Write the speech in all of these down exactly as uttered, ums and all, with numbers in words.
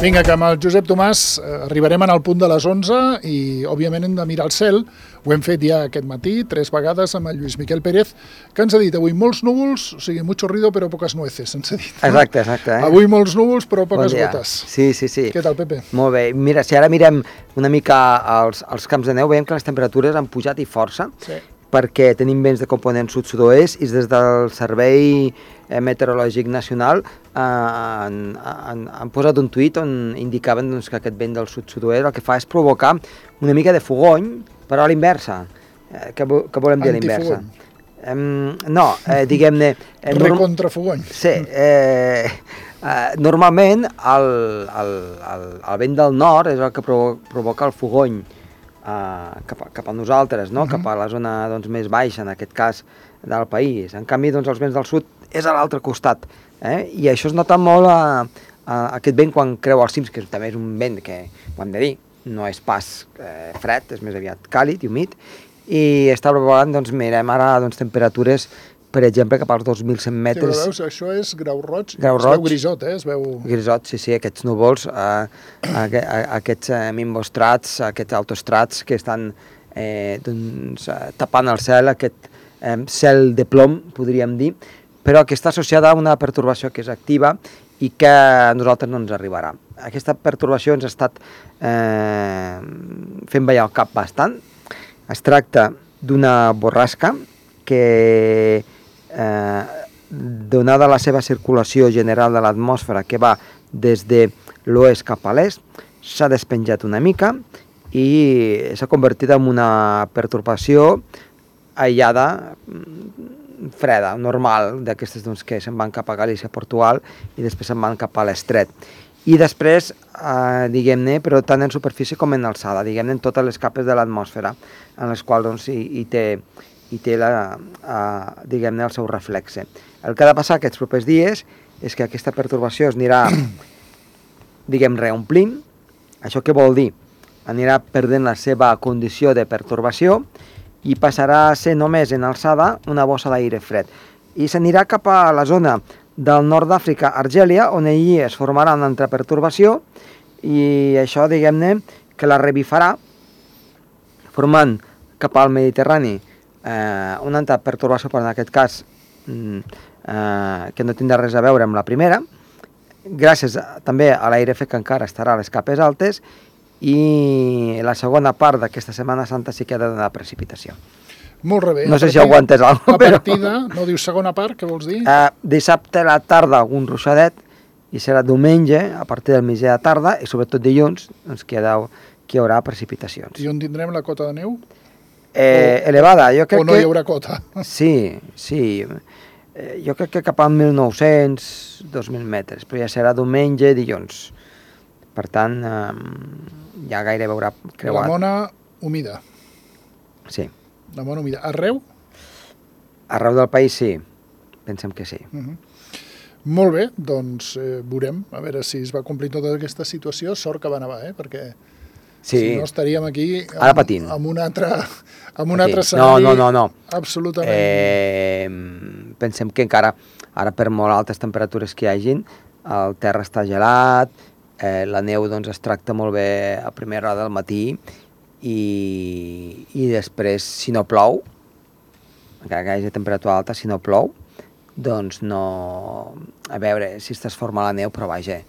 Vinga, que amb el Josep Tomàs arribarem al punt de les onze i, òbviament, hem de mirar el cel. Ho hem fet ja aquest matí, tres vegades, amb el Lluís Miquel Pérez, que ens ha dit avui molts núvols, o sigui, mucho ruido però poques nueces, ens ha dit. No? Exacte, exacte. Eh? Avui molts núvols però poques bon gotes. Sí, sí, sí. Què tal, Pepe? Molt bé. Mira, si ara mirem una mica els, els camps de neu, veiem que les temperatures han pujat i força, sí. perquè tenim vents de component sud-sud-oest i des del Servei Meteorològic Nacional eh, han, han, han posat un tuit on indicaven doncs, que aquest vent del sud-sud-oest el que fa és provocar una mica de fogony, però a l'inversa. Eh, què, què volem dir a l'inversa? Eh, no, eh, diguem-ne... Eh, Recontrafogony. Sí, eh, eh, normalment el, el, el, el vent del nord és el que provo provoca el fogony Uh, cap, a, cap a nosaltres, no? uh -huh. cap a la zona doncs, més baixa, en aquest cas, del país. En canvi, doncs, els vents del sud és a l'altre costat. Eh? I això es nota molt a, a aquest vent quan creua els cims, que també és un vent que, ho hem de dir, no és pas eh, fred, és més aviat càlid i humit, i està provocant, doncs, mirem ara doncs, temperatures, per exemple, cap als dos mil cent metres. Sí, veus, això és grau roig, grau es roig, veu grisot, eh? Es veu... Grisot, sí, sí, aquests núvols, eh, aqu aquests eh, mimbostrats, aquests autostrats que estan eh, doncs, eh, tapant el cel, aquest eh, cel de plom, podríem dir, però que està associada a una pertorbació que és activa i que a nosaltres no ens arribarà. Aquesta pertorbació ens ha estat eh, fent ballar el cap bastant. Es tracta d'una borrasca que Eh, donada la seva circulació general de l'atmosfera que va des de l'oest cap a l'est, s'ha despenjat una mica i s'ha convertit en una pertorbació aïllada, freda, normal, d'aquestes doncs, que se'n van cap a Galícia, Portugal, i després se'n van cap a l'estret. I després, eh, diguem-ne, però tant en superfície com en alçada, diguem-ne, en totes les capes de l'atmosfera, en les quals doncs, hi, hi té i té la, uh, diguem-ne, el seu reflexe. El que ha de passar aquests propers dies és que aquesta pertorbació es anirà, diguem, reomplint. Això què vol dir? Anirà perdent la seva condició de pertorbació i passarà a ser només en alçada una bossa d'aire fred. I s'anirà cap a la zona del nord d'Àfrica, Argèlia, on allí es formarà una altra pertorbació i això, diguem-ne, que la revifarà formant cap al Mediterrani Eh, una altra pertorbació, però en aquest cas mm, eh, que no tindrà res a veure amb la primera, gràcies a, també a l'aire fred que encara estarà a les capes altes, i la segona part d'aquesta Setmana Santa sí que ha de donar precipitació. Molt bé. No sé si aguantes alguna cosa. La partida, però... no dius segona part, què vols dir? Eh, dissabte a la tarda algun ruixadet, i serà diumenge a partir del migdia de tarda, i sobretot dilluns, doncs, que, hi ha, que hi haurà precipitacions. I on tindrem la cota de neu? Eh, o, elevada, jo crec o no que... hi haurà cota. Sí, sí. Eh, jo crec que cap a mil nou-cents, dos mil metres, però ja serà diumenge, dilluns. Per tant, eh, ja gairebé haurà creuat. La mona humida. Sí. La mona humida. Arreu? Arreu del país, sí. Pensem que sí. Uh -huh. Molt bé, doncs eh, veurem, a veure si es va complir tota aquesta situació. Sort que va nevar, eh? Perquè... Sí. Si no, estaríem aquí amb, ara patint. amb un altre, amb un altre escenari. No, no, no, no. Absolutament. Eh, pensem que encara, ara per molt altes temperatures que hi hagin, el terra està gelat, eh, la neu doncs, es tracta molt bé a primera hora del matí i, i després, si no plou, encara que hi hagi temperatura alta, si no plou, doncs no... A veure si es transforma la neu, però vaja,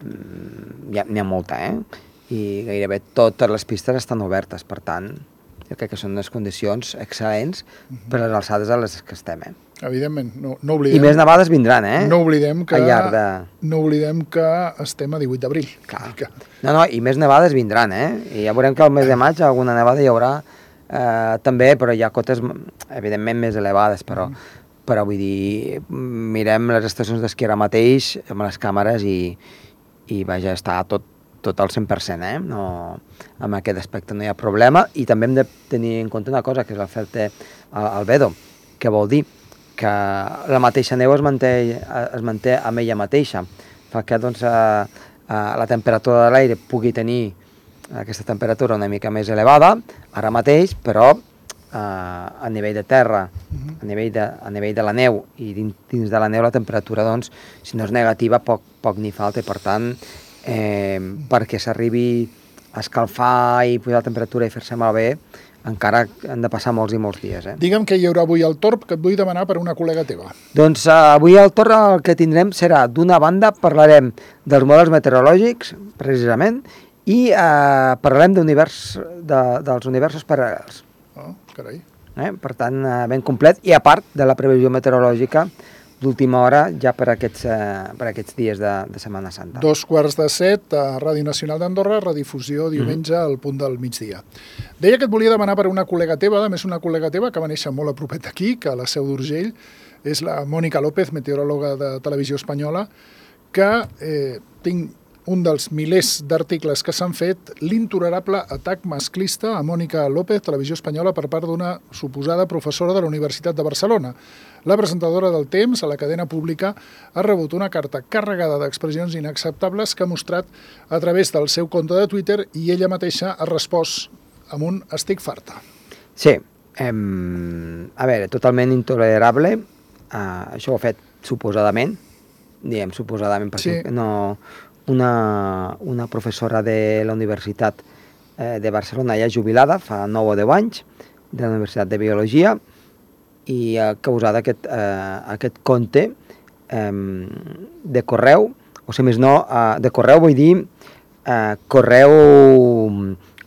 n'hi ha, ha molta, eh? I gairebé totes les pistes estan obertes, per tant, jo crec que són unes condicions excel·lents per les alçades a les que estem, eh? Evidentment, no, no oblidem... I més nevades vindran, eh? No oblidem que, al llarg de... no oblidem que estem a divuit d'abril. Que... No, no, i més nevades vindran, eh? I ja veurem que al mes de maig alguna nevada hi haurà eh, també, però hi ha cotes, evidentment, més elevades, però, mm. però vull dir, mirem les estacions d'esquí ara mateix amb les càmeres i, i vaja, està tot tot al cent per cent, eh? No, amb aquest aspecte no hi ha problema, i també hem de tenir en compte una cosa, que és l'efecte albedo, que vol dir que la mateixa neu es manté, es manté amb ella mateixa, fa que doncs, a, a la temperatura de l'aire pugui tenir aquesta temperatura una mica més elevada, ara mateix, però a, a nivell de terra, uh-huh. a, nivell de, a nivell de la neu, i dins, dins de la neu la temperatura, doncs, si no és negativa, poc, poc ni falta, i per tant, eh, perquè s'arribi a escalfar i posar la temperatura i fer-se malbé, encara han de passar molts i molts dies. Eh? Digue'm què hi haurà avui al torn, que et vull demanar per una col·lega teva. Doncs uh, avui al torn el que tindrem serà, d'una banda, parlarem dels models meteorològics, precisament, i uh, parlarem d'univers, de, dels universos paral·lels. Oh, carai. Eh? Per tant, uh, ben complet, i a part de la previsió meteorològica d'última hora ja per aquests, eh, per aquests dies de, de Setmana Santa. Dos quarts de set a Ràdio Nacional d'Andorra, redifusió diumenge mm. al punt del migdia. Deia que et volia demanar per una col·lega teva, a més una col·lega teva que va néixer molt a propet aquí, que a la Seu d'Urgell, és la Mònica López, meteoròloga de Televisió Espanyola, que eh, tinc un dels milers d'articles que s'han fet, l'intolerable atac masclista a Mònica López, Televisió Espanyola, per part d'una suposada professora de la Universitat de Barcelona. La presentadora del Temps, a la cadena pública, ha rebut una carta carregada d'expressions inacceptables que ha mostrat a través del seu compte de Twitter i ella mateixa ha respost amb un estic farta. Sí, em, a veure, totalment intolerable, uh, això ho ha fet suposadament, diem suposadament perquè sí. no, una, una professora de la Universitat eh, de Barcelona ja jubilada, fa nou o deu anys, de la Universitat de Biologia, i ha causat aquest, eh, aquest compte eh, de correu, o si més no, eh, de correu vull dir eh, correu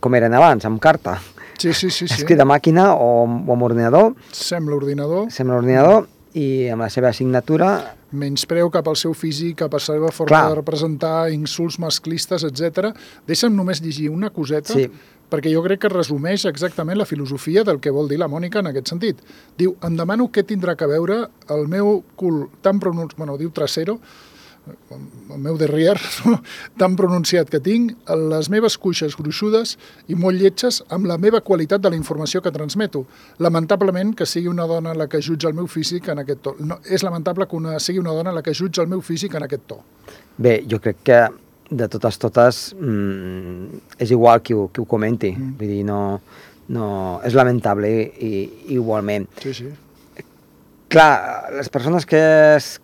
com eren abans, amb carta. Sí, sí, sí. sí. Escrit a màquina o, o amb ordinador. Sembla ordinador. Sembla ordinador i amb la seva signatura. Menyspreu cap al seu físic, cap a la seva forma Clar. de representar, insults masclistes, etcètera. Deixa'm només llegir una coseta, sí. perquè jo crec que resumeix exactament la filosofia del que vol dir la Mònica en aquest sentit. Diu, em demano què tindrà que veure el meu cul tan pronunciat, bueno, diu trasero, el meu derrière, no? tan pronunciat que tinc, les meves cuixes gruixudes i molt lletges amb la meva qualitat de la informació que transmeto. Lamentablement que sigui una dona la que jutja el meu físic en aquest to. No, és lamentable que una, sigui una dona la que jutja el meu físic en aquest to. Bé, jo crec que de totes totes mmm, és igual qui ho, qui ho comenti, mm. vull dir, no, no, és lamentable i, i igualment. Sí, sí. Clar, les persones que,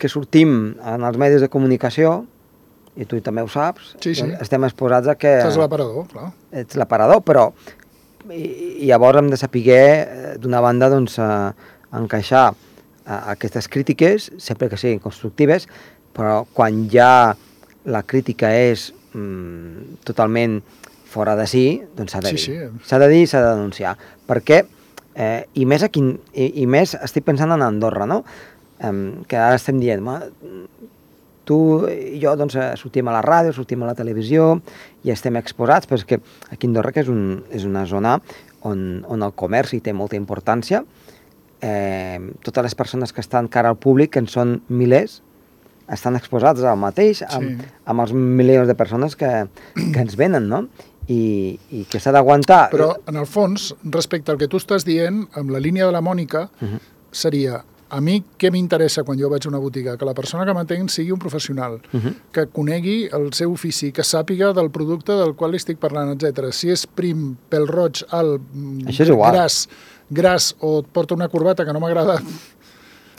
que sortim en els medis de comunicació, i tu també ho saps, sí, sí. estem exposats a que... Ets l'aparador, clar. Ets l'aparador, però i, i llavors hem de saber, d'una banda, doncs, a, a encaixar a, a aquestes crítiques, sempre que siguin constructives, però quan ja la crítica és mm, totalment fora de si, doncs s'ha de dir. Sí, sí. S'ha de dir i s'ha de denunciar. Perquè, eh, i, més aquí, i, i més estic pensant en Andorra, no? Eh, que ara estem dient, tu i jo doncs, sortim a la ràdio, sortim a la televisió i estem exposats, però és que aquí a Andorra, que és, un, és una zona on, on el comerç hi té molta importància, eh, totes les persones que estan cara al públic, que en són milers, estan exposats al mateix, amb, sí. amb els milions de persones que, que ens venen, no? I, i que s'ha d'aguantar. Però, en el fons, respecte al que tu estàs dient, amb la línia de la Mònica, uh-huh. seria, a mi què m'interessa quan jo vaig a una botiga? Que la persona que m'atén sigui un professional, uh-huh. que conegui el seu ofici, que sàpiga del producte del qual estic parlant, etcètera. Si és prim, pèl roig, alt, gras, gras, o et porta una corbata que no m'agrada...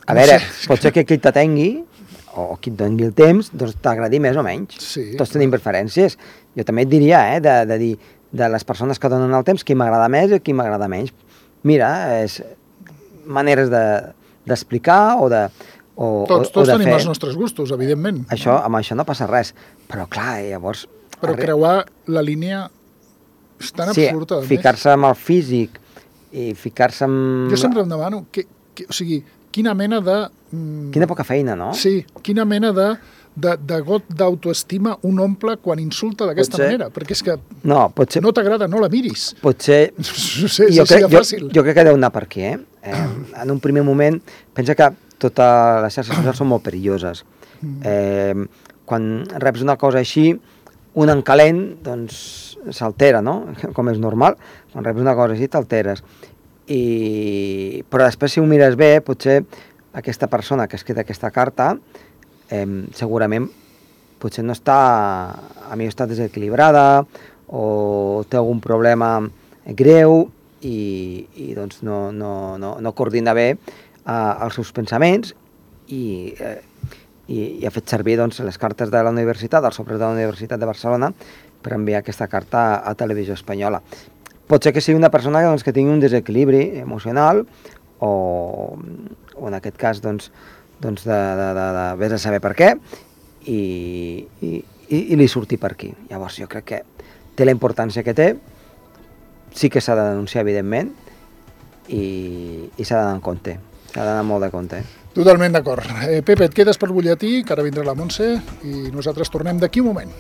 A veure, no sé. Pot ser que qui t'atengui o qui et doni el temps, doncs t'agradi més o menys. Sí. Tots tenim preferències. Jo també et diria, eh, de, de dir, de les persones que donen el temps, qui m'agrada més i qui m'agrada menys. Mira, és maneres de, d'explicar o de, o, tots, o, tots o de tenim fer. els nostres gustos, evidentment. Això, amb això no passa res. Però clar, llavors... Però arre... creuar la línia és tan sí, absurda. Sí, ficar-se amb el físic i ficar-se amb... Jo sempre em demano, que, que, o sigui, quina mena de... Quina poca feina, no? Sí, quina mena de, de, de got d'autoestima un omple quan insulta d'aquesta manera, perquè és que no, potser... no t'agrada, no la miris. Potser... No sé, jo, crec, jo, fàcil. jo crec que deu anar per aquí, eh? eh? En un primer moment, pensa que totes les xarxes socials són molt perilloses. Eh, quan reps una cosa així, un en calent, doncs s'altera, no? Com és normal. Quan reps una cosa així, t'alteres. I... Però després, si ho mires bé, potser aquesta persona que ha escrit aquesta carta eh, segurament potser no està, a mi està desequilibrada o té algun problema greu i, i doncs no, no, no, no coordina bé eh, els seus pensaments i, eh, i, i ha fet servir doncs, les cartes de la universitat, el sopres de la Universitat de Barcelona, per enviar aquesta carta a, a Televisió Espanyola. Pot ser que sigui una persona doncs, que tingui un desequilibri emocional o, o en aquest cas, doncs, doncs de, de, de, de vés a saber per què, i, i, i, i li surti per aquí. Llavors jo crec que té la importància que té, sí que s'ha de denunciar, evidentment, i, i s'ha d'anar en compte, s'ha d'anar molt de compte. Totalment d'acord. Eh, Pepe, et quedes per butlletí, que ara vindrà la Montse, i nosaltres tornem d'aquí un moment.